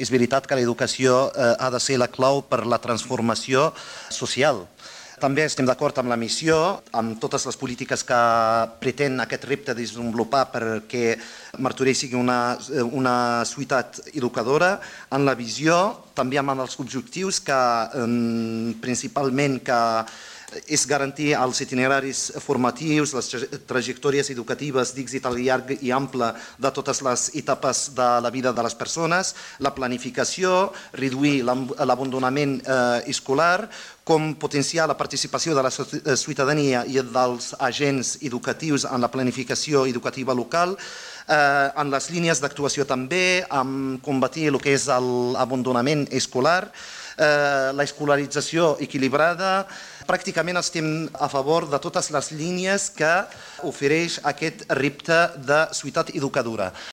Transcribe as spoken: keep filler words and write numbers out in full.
És veritat que l'educació eh, ha de ser la clau per la transformació social. També estem d'acord amb la missió, amb totes les polítiques que pretén aquest repte desenvolupar perquè Martorell sigui una, una ciutat educadora, en la visió, també amb els objectius que principalment que és garantir els itineraris formatius, les trajectòries educatives d'èxit al llarg i ample de totes les etapes de la vida de les persones, la planificació, reduir l'abandonament escolar, com potenciar la participació de la ciutadania i dels agents educatius en la planificació educativa local, en les línies d'actuació també, amb combatir el que és l'abandonament escolar, l'escolarització equilibrada. Pràcticament estem a favor de totes les línies que ofereix aquest repte de ciutat educadora.